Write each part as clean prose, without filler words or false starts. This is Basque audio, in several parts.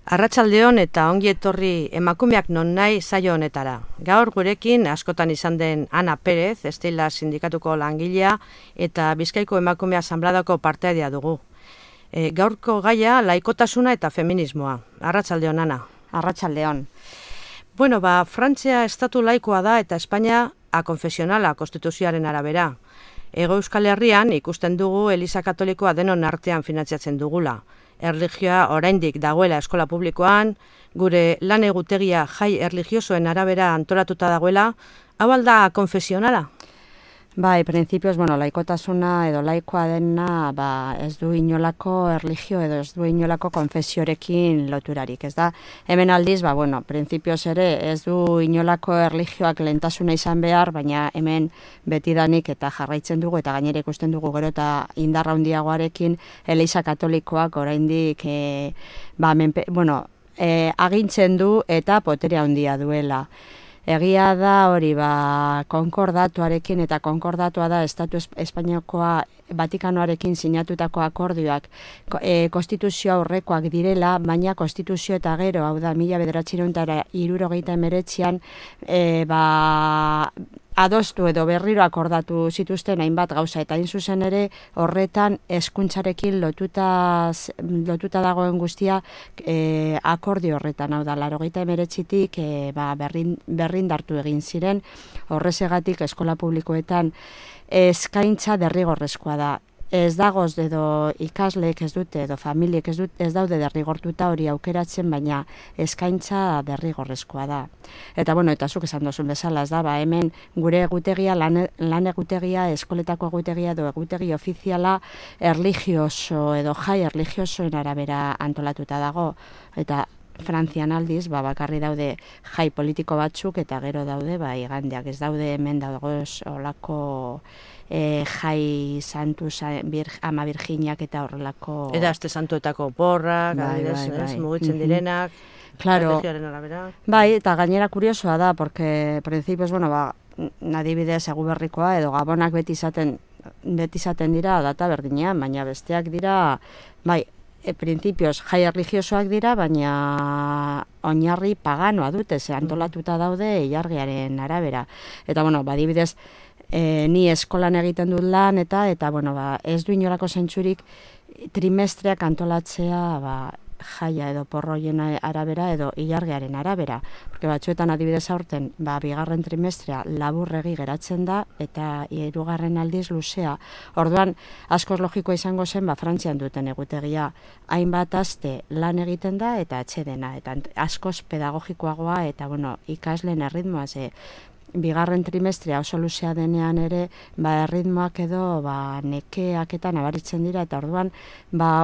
Arratsaldeon eta ongi etorri emakumeak non nahi saio honetara. Gaur gurekin askotan izan den Ana Perez, Estela sindikatuko langilea eta Bizkaiko emakume asanbladako partaidea dugu. Gaurko gaia laikotasuna eta feminismoa. Arratsaldeon, Ana. Arratsaldeon. Bueno, Frantzia estatu laikoa da eta Espainia akonfesionala konstituzioaren arabera. Hego Euskal Herrian ikusten dugu Eliza Katolikoa denon artean finantziatzen dugula. Erlijioa oraindik dagoela eskola publikoan, gure lan egutegia jai erlijiosoen arabera antolatuta dagoela, hau alda konfesionala? Bai, printzipioz, laikotasuna edo laikoa dena ez du inolako erlijio edo ez du inolako konfesiorekin loturarik, ez da? Hemen aldiz, printzipioz ere ez du inolako erlijioak lehentasuna izan behar, baina hemen betidanik eta jarraitzen dugu eta gainera ikusten dugu gero eta indarra handiagoarekin Eliza Katolikoak oraindik agintzen du eta poterea handia duela. Egia da hori konkordatuarekin eta konkordatua da Estatu Espainiakoa Vatikanoarekin sinatutako akordioak konstituzio aurrekoak direla, baina konstituzio eta gero, hau da 1979an adostu edo berriro akordatu zituzten hainbat gauza eta hain zuzen ere horretan hezkuntzarekin lotuta dagoen guztia akordio horretan, hau da 1989tik berrindartu egin ziren, horrezegatik eskola publikoetan eskaintza derrigorrezkoa da. Ez dagoz edo ikasleek ez dute edo familiek ez daude derrigortuta hori aukeratzen, baina eskaintza derrigorrezkoa da. Eta eta zuk esan duzun bezala, ez da, hemen gure egutegia, lan egutegia, eskoletako egutegia edo egutegi ofiziala erlijioso edo jai erlijiosoen arabera antolatuta dago. Eta Frantzian aldiz, bakarri daude jai politiko batzuk eta gero daude igandeak, ez daude hemen dagoz olako jai santu ama Virginiak eta horrelako... Eta aste santuetako porrak, mugitzen direnak, estrategiaren arabera. Bai, eta gainera kuriosoa da, porque principios, adibidez Eguberrikoa edo Gabonak beti izaten dira data berdinean, baina besteak dira, printzipioz jai erlijiosoak dira, baina oinarri paganoa dute, antolatuta daude ilargiaren arabera. Eta, adibidez, ni eskolan egiten dut lan eta ez du inolako zentzurik trimestreak antolatzea jaia edo porroien arabera edo ilargiaren arabera. Porque batzuetan adibidez aurten, bigarren trimestrea laburregi geratzen da eta hirugarren aldiz luzea. Orduan, askoz logikoa izango zen, Frantzian duten egutegia hainbat aste lan egiten da eta atsedena. Eta askoz pedagogikoagoa eta, ikasleen erritmoa bigarren trimestrea oso luzea denean ere, erritmoak edo nekeak eta nabaritzen dira, eta orduan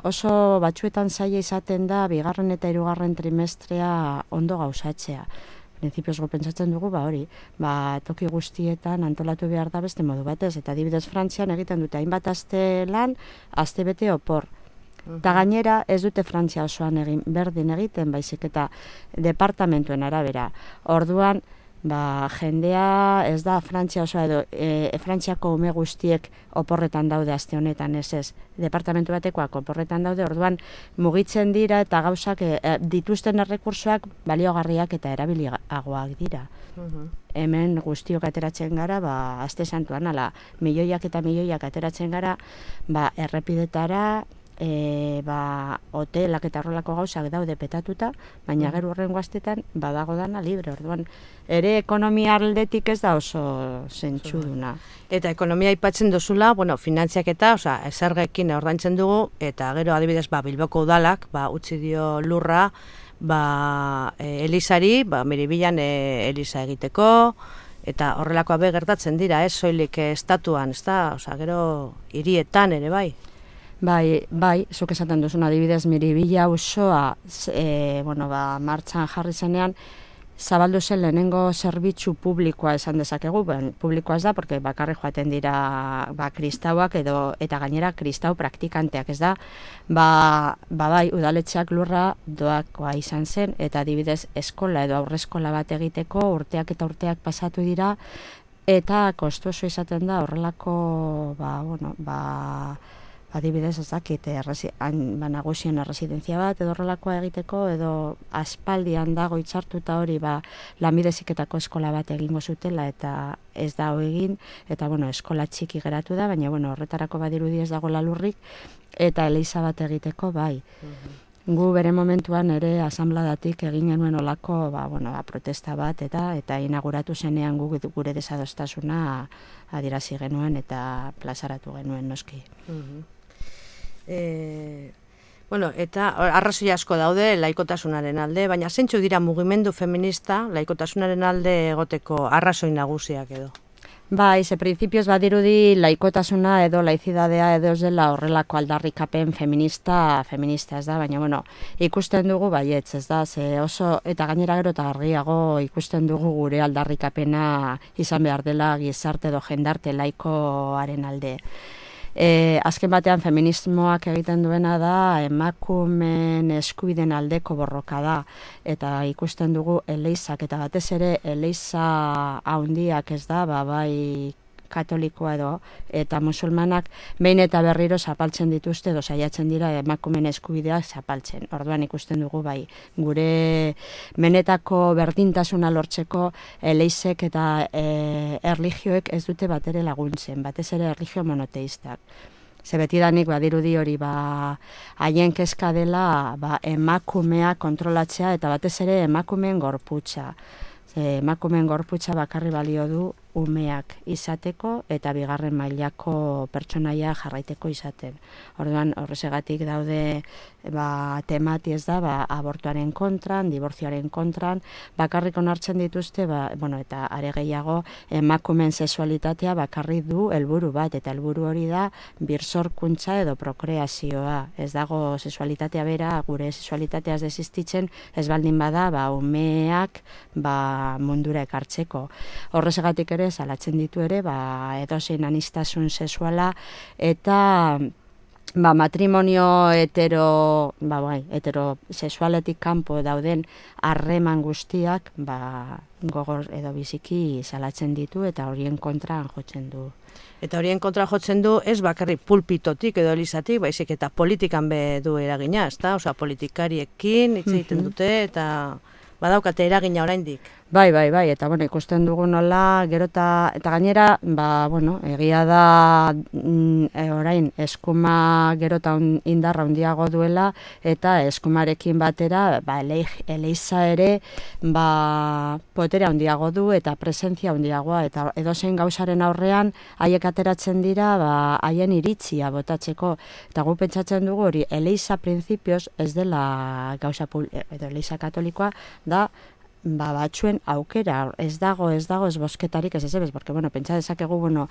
oso batzuetan zaila izaten da bigarren eta hirugarren trimestrea ondo gauzatzea. Printzipioz pentsatzen dugu, toki guztietan antolatu behar da beste modu batez, eta adibidez Frantzian egiten dute hainbat aste lan, aste bete opor. Eta gainera ez dute Frantzia osoan berdin egiten, baizik eta departamentuen arabera. Orduan, jendea ez da Frantzia osoa edo Frantziako ume guztiek oporretan daude aste honetan, ez. Departamentu batekoak oporretan daude, orduan mugitzen dira eta gauzak dituzten errekursoak baliogarriak eta erabiliagoak dira. Hemen guztiok ateratzen gara, aste santuan, milioiak eta milioiak ateratzen gara, errepidetara, hotelak eta horrelako gauzak daude petatuta, baina gero horrengo astetan badago dana libre, orduan ere ekonomia aldetik ez da oso zentzuduna. Eta ekonomia aipatzen duzula, finantziak eta zergekin ordaintzen dugu, eta gero adibidez Bilboko udalak utzi dio lurra Elizari, Miribilan Eliza egiteko, eta horrelakoa gertatzen dira, ez soilik estatuan, ez da, gero hirietan ere bai. Bai, zuk esaten duzun adibidez Miribilla auzoa martxan jarri zenean, zabaldu zen lehenengo zerbitzu publikoa esan dezakegu, publikoa ez da, porque bakarri joaten dira kristauak eta gainera kristau praktikanteak, ez da, udaletxeak lurra doakoa izan zen, eta adibidez eskola edo aurreskola bat egiteko urteak eta urteak pasatu dira, eta kostoso izaten da horrelako adibidez ez dakit, nagusien erresidentzia bat edo horrelakoa egiteko, edo aspaldian dago hitzartuta hori lanbide heziketako eskola bat egingo zutela eta ez da egin, eta eskola txiki geratu da, baina horretarako badirudi ez dago lalurrik, eta eliza bat egiteko bai. Gu bere momentuan ere asanbladatik egin genuen olako protesta bat eta inauguratu zenean gure desadostasuna adierazi genuen eta plazaratu genuen noski. Eta arrazoi asko daude laikotasunaren alde, baina zeintzuk dira mugimendu feminista laikotasunaren alde egoteko arrazoi nagusiak edo? Bai, ze printzipioz badirudi laikotasuna edo laizidadea edo ez dela horrelako aldarrikapen feminista ez da, baina ikusten dugu baietz, ez da, ze oso eta gainera gero eta argiago ikusten dugu gure aldarrikapena izan behar dela gizarte edo jendarte laikoaren alde. Azken batean feminismoak egiten duena da emakumeen eskubideen aldeko borroka da, eta ikusten dugu eleizak eta batez ere eleiza handiak ez da, bai katolikoa edo eta musulmanak behin eta berriro zapaltzen dituzte edo saiatzen dira emakumeen eskubideak zapaltzen. Orduan ikusten dugu bai gure benetako berdintasuna lortzeko eleizek eta erlijioek ez dute batere laguntzen, batez ere erlijio monoteistak. Ze betidanik badirudi hori haien kezka dela emakumea kontrolatzea eta batez ere emakumeen gorputza. Emakumeen gorputza bakarri balio du umeak izateko eta bigarren mailako pertsonaia jarraiteko izaten. Orduan horregatik daude temati ez da abortuaren kontran, dibortzioaren kontran, bakarrik onartzen dituzte eta are gehiago emakumeen sexualitatea bakarri du helburu bat eta helburu hori da birsorkuntza edo prokreazioa. Ez dago sexualitatea bera, gure sexualitatea ez desistitzen, ez baldin bada umeak mundura ekartzeko. Horregatik ere salatzen ditu ere edozein aniztasun sexuala eta matrimonio heterosexualetik kanpo dauden harreman guztiak gogor edo biziki salatzen ditu eta horien kontra jotzen du. Eta horien kontra jotzen du ez bakarrik pulpitotik edo elizatik, baizik eta politikan du eragina, ezta? Osea, politikariekin hitz egiten dute eta badaukate eragina oraindik. Bai, eta ikusten dugu nola, gero eta gainera, egia da orain eskuma gero eta indarra handiago duela, eta eskumarekin batera, eleiza ere, poterea handiago du eta presentzia handiagoa, eta edozein gauzaren aurrean, haiek ateratzen dira, haien iritzia botatzeko, eta gu pentsatzen dugu hori, eleiza printzipioz ez dela gauza edo eleiza katolikoa, da, batzuen aukera, ez dago ez bosketarik ez porque, pentsa dezakegu,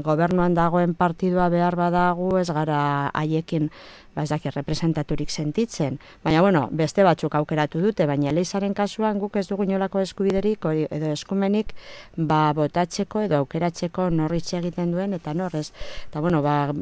gobernuan dagoen partidua behar badagu, ez gara haiekin, representaturik sentitzen. Baina, beste batzuk aukeratu dute, baina eleizaren kasuan guk ez dugu inolako eskubiderik edo eskumenik botatzeko edo aukeratzeko norritxe egiten duen, eta norrez. Eta,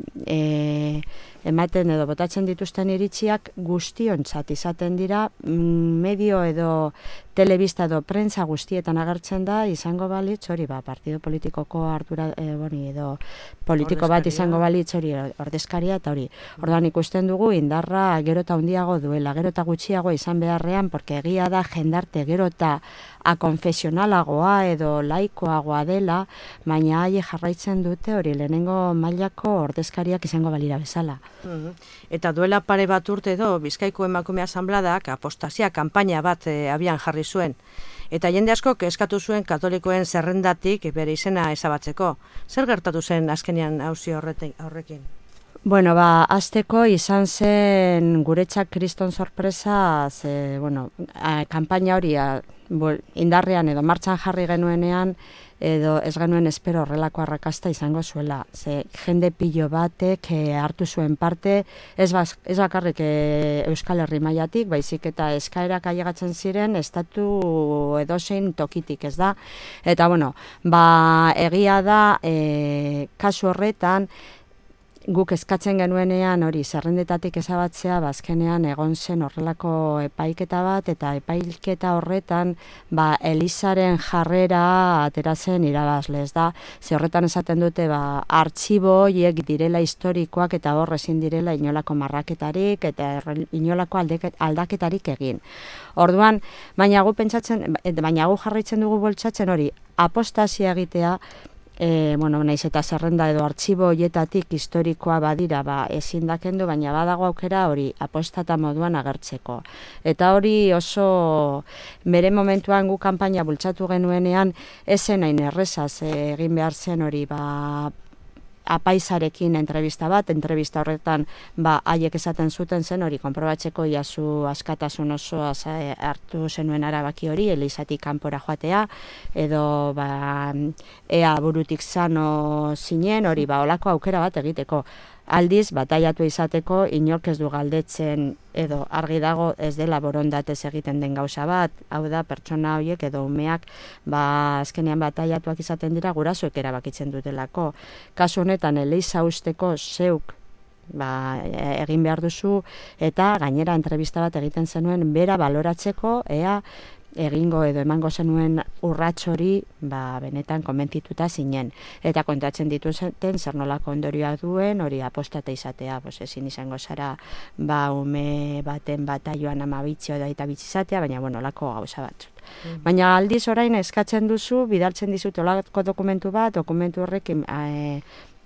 ematen edo botatzen dituzten iritziak guztiontzat izaten dira, medio edo telebista edo prentza guztietan agertzen da, izango balitz hori, partido politikoko ardura, edo politiko bat izango balitz hori ordezkaria eta hori. Orduan ikusten dugu indarra gero eta handiago duela, gero eta gutxiago izan beharrean, porque egia da jendarte gero eta akonfesionalagoa edo laikoagoa dela, baina haie jarraitzen dute hori lehenengo mailako ordezkariak izango balira bezala. Eta duela pare bat urte edo Bizkaiko Emakume Asanbladak apostasia kanpaina bat abian jarri zuen. Eta jende asko eskatu zuen katolikoen zerrendatik bere izena ezabatzeko. Zer gertatu zen azkenean auzi horrekin? Azteko izan zen guretzak kriston sorpresa, kanpaina hori indarrean edo martxan jarri genuenean, edo ez genuen espero horrelako arrakasta izango zuela. Jende pilo batek hartu zuen parte, ez bakarrik Euskal Herri mailatik, baizik eta eskaerak ailegatzen ziren estatu edozein tokitik, ez da? Eta, egia da, kasu horretan, guk eskatzen genuenean hori zerrendetatik ezabatzea, azkenean egon zen horrelako epaiketa bat, eta epaiketa horretan Elizaren jarrera atera zen irabazle, ez da, ze horretan esaten dute artxibo horiek direla historikoak eta hor ezin direla inolako marraketarik eta inolako aldaketarik egin. Orduan, baina gu jarraitzen dugu boltsatzen hori, apostazia egitea, naiz eta zerrenda edo artxibo horietatik historikoa badira ezin da kendu, baina badago aukera hori apostata moduan agertzeko. Eta hori oso bere momentuan gu kanpaina bultzatu genuenean esen hain errezaz egin behar zen hori apaizarekin entrevista horretan haiek esaten zuten zen hori konprobatzeko iazu askatasun osoa hartu zenuen arabaki hori, Elizatik kanpora joatea, edo ea burutik sano zinen, hori olako aukera bat egiteko. Aldiz, bataiatu izateko, inork ez du galdetzen, edo argi dago ez dela borondatez egiten den gauza bat, hau da, pertsona horiek edo umeak, azkenean bataiatuak izaten dira, gurasoek erabakitzen dutelako. Kasu honetan, Eliza usteko zeuk egin behar duzu, eta gainera entrevista bat egiten zenuen bera baloratzeko, ea egingo edo emango zenuen urrats hori benetan konbentzituta zinen. Eta kontatzen dituzten zer nolako ondorioa duen, hori apostata izatea, ezin izango zara ume baten bataioan 12 eta bitzi izatea, baina olako gauza batzuk. Baina aldiz orain eskatzen duzu, bidaltzen dizut olako dokumentu horrekin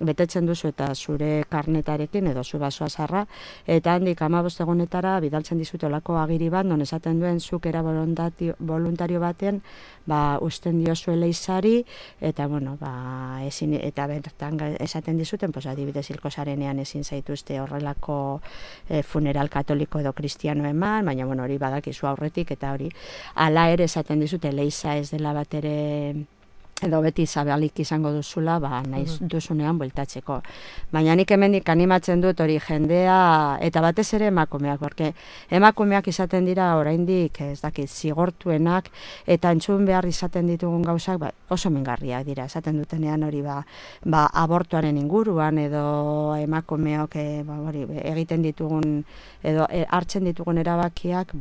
betetzen duzu eta zure karnetarekin edo zu basoa zarra, eta handik 15 egunetara bidaltzen dizute olako agiri bat, non esaten duen zuk era voluntario baten usten diozu Elizari, eta eta bertan esaten dizuten, adibidez hilko zarenean ezin zaituzte horrelako funeral katoliko edo kristiano eman, baina hori badakizu aurretik, eta hori hala ere esaten dizute Eliza ez dela bat ere edo beti zabalik izango duzula, nahi duzunean bueltatzeko. Baina nik hemendik animatzen dut hori jendea, eta batez ere emakumeak, porque emakumeak izaten dira oraindik, ez dakit, zigortuenak, eta entzun behar izaten ditugun gauzak, oso mingarriak dira, esaten dutenean hori abortuaren inguruan, edo emakumeok egiten ditugun, edo hartzen ditugun erabakiak,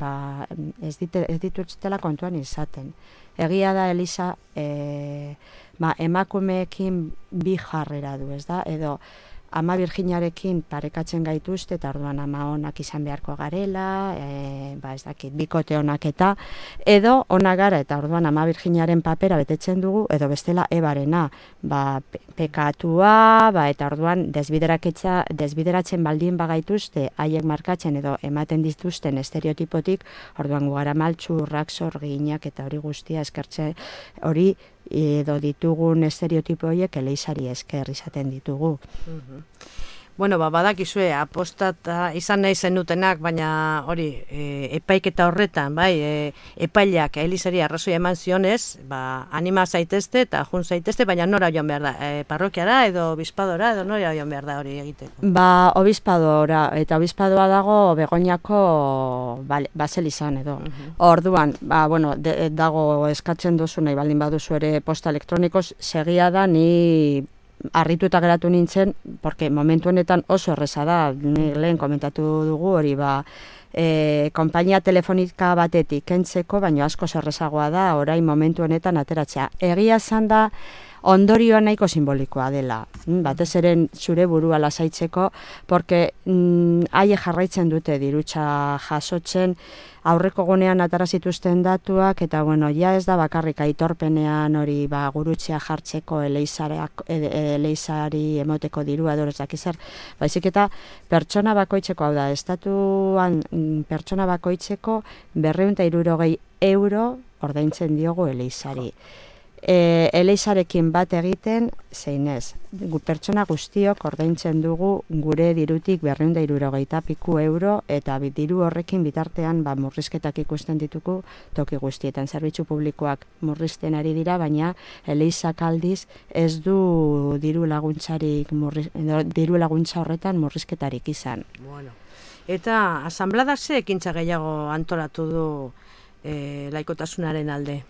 ez dituztela kontuan izaten. Egia da Eliza emakumeekin bi jarrera du, ez da? Edo Ama Birjinarekin parekatzen gaituzte, eta orduan ama onak izan beharko garela, ez dakit, bikote onak edo onak gara, eta orduan Ama Birjinaren papera betetzen dugu, edo bestela Ebarena, pekatua, eta orduan desbideratzen baldin bagaituzte, haiek markatzen edo ematen dituzten estereotipotik, orduan gara maltxurrak, zorginak, eta hori guztia eskertze hori, edo ditugun estereotipo horiek Elizari esker izaten ditugu. Badakizue, apostata izan nahi zenutenak, baina hori, epaiketa horretan, epaileak Elizari arrazoi eman zionez, anima zaitezte eta jun zaitezte, baina nora joan behar da, parrokiara edo obispadora, edo nora joan behar da hori egiteko? Obispadora, eta obispadoa dago Begoñako baselizan edo. Orduan, dago eskatzen duzu, nahi baldin baduzu ere posta elektronikoz, segia da ni harrituta geratu nintzen, porque momentu honetan oso erreza da, lehen komentatu dugu hori konpainia telefonika batetik kentzeko, baina asko errezagoa da, orain momentu honetan ateratzea. Egia zan da, ondorioa nahiko simbolikoa dela, batez ere zure burua lasaitzeko, porque haie jarraitzen dute dirutza jasotzen, aurreko gunean atara zituzten datuak, eta ja ez da bakarrik aitorpenean hori gurutzea jartzeko Elizari emoteko dirua edo ez dakizar, baizik eta pertsona bakoitzeko, hau da, estatuan pertsona bakoitzeko 260 euro ordaintzen diogu Elizari. Elizarekin bat egiten, zein ez, pertsona guztiok ordaintzen dugu gure dirutik 260 piku euro, eta diru horrekin bitartean murrizketak ikusten ditugu toki guztietan. Zerbitzu publikoak murrizten ari dira, baina Elizak aldiz ez du diru laguntza horretan murrizketarik izan. Eta asanblada ze ekintza gehiago antolatu du laikotasunaren alde?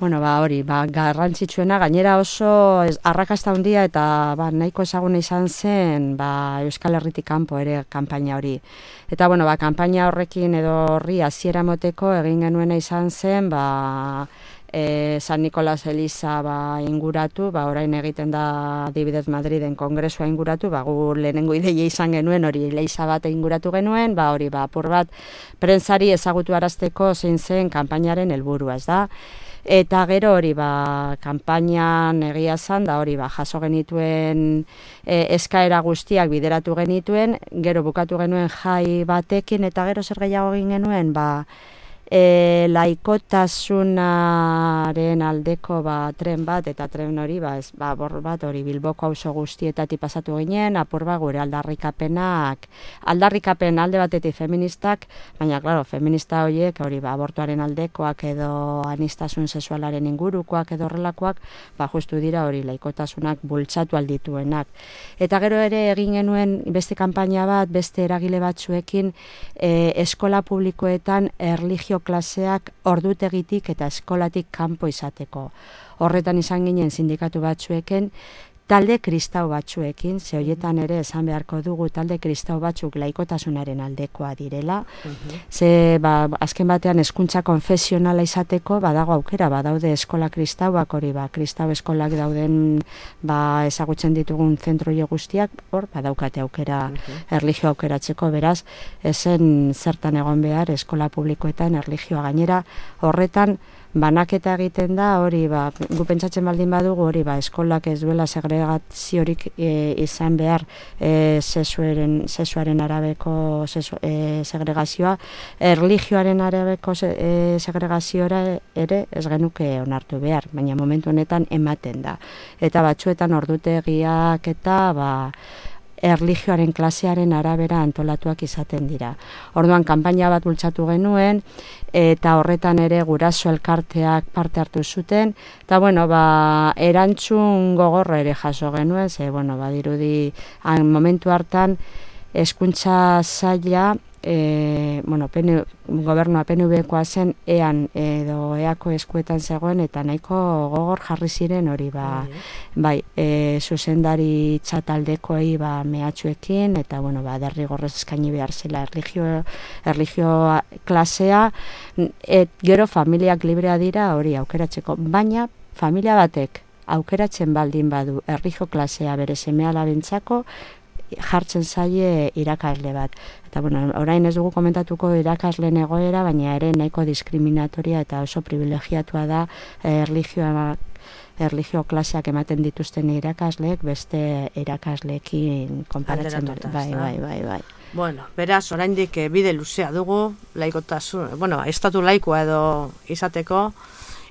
Bueno, hori, garrantzitsuena, gainera oso arrakasta handia eta nahiko ezaguna izan zen Euskal Herritik kanpo ere kanpaina hori. Eta, kanpaina horrekin edo horri hasiera moteko egin genuena izan zen, San Nikolas Eliza inguratu, orain egiten da adibidez Madriden kongresua inguratu, gu lehenengo ideia izan genuen hori Eliza bat inguratu genuen, hori apur bat prentsari ezagutu arazteko zein zen kanpainaren helburua, ez da? Eta gero hori kanpainan egia zan, da hori jaso genituen eskaera guztiak bideratu genituen, gero bukatu genuen jai batekin, eta gero zer gehiago egin genuen, laikotasunaren aldeko tren bat, eta tren hori bor bat hori Bilboko auzo guztietatik pasatu ginen, apur gure aldarrikapen alde batetik feministak, baina claro, feminista horiek hori abortuaren aldekoak edo aniztasun sexualaren ingurukoak edo horrelakoak, justu dira hori laikotasunak bultzatu aldituenak. Eta gero ere egin genuen beste kanpaina bat, beste eragile batzuekin eskola publikoetan erlijio klaseak ordutegitik eta eskolatik kanpo izateko. Horretan izan ginen sindikatu batzuekin, talde kristau batzuekin, ze horietan ere esan beharko dugu talde kristau batzuk laikotasunaren aldekoa direla, ze azken batean hezkuntza konfesionala izateko badago aukera, badaude eskola kristauak hori, kristau eskolak dauden ezagutzen ditugun zentro guztiak, hor badaukate aukera, erlijio aukeratzeko, beraz, ezen zertan egon behar eskola publikoetan erlijioa gainera, horretan banaketa egiten da, hori, gu pentsatzen baldin badugu, hori, eskolak ez duela segregaziorik izan behar sexuaren arabeko segregazioa, erlijioaren arabeko segregazioa ere ez genuke onartu behar, baina momentu honetan ematen da. Eta batzuetan ordutegiak eta erlijioaren klasearen arabera antolatuak izaten dira. Orduan, kanpaina bat bultzatu genuen, eta horretan ere guraso elkarteak parte hartu zuten, eta, erantzun gogorra ere jaso genuen, ze, badirudi, momentu hartan, hezkuntza saila, gobernua PNV-koa zen ean edo eako eskuetan zegoen eta nahiko gogor jarri ziren hori zuzendari txataldekoei mehatxuekin eta derrigorrez eskaini behar zela erlijio klasea, gero familiak librea dira hori aukeratzeko, baina familia batek aukeratzen baldin badu erlijio klasea bere seme-alabentzako jartzen zaie irakasle bat. Eta, orain ez dugu komentatuko irakasleen egoera, baina ere nahiko diskriminatoria eta oso privilegiatua da erlijio klaseak ematen dituzten irakasleek beste irakasleekin konparatzen. Bai. Bueno, beraz, oraindik bide luzea dugu, laikotasun, estatu laikoa edo izateko,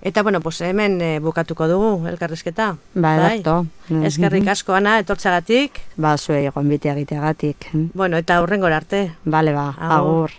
eta, hemen bukatuko dugu elkarrizketa. Ederto. Eskerrik asko, Ana, etortzagatik. Zuei gonbite egiteagatik. Eta hurrengora arte. Agur.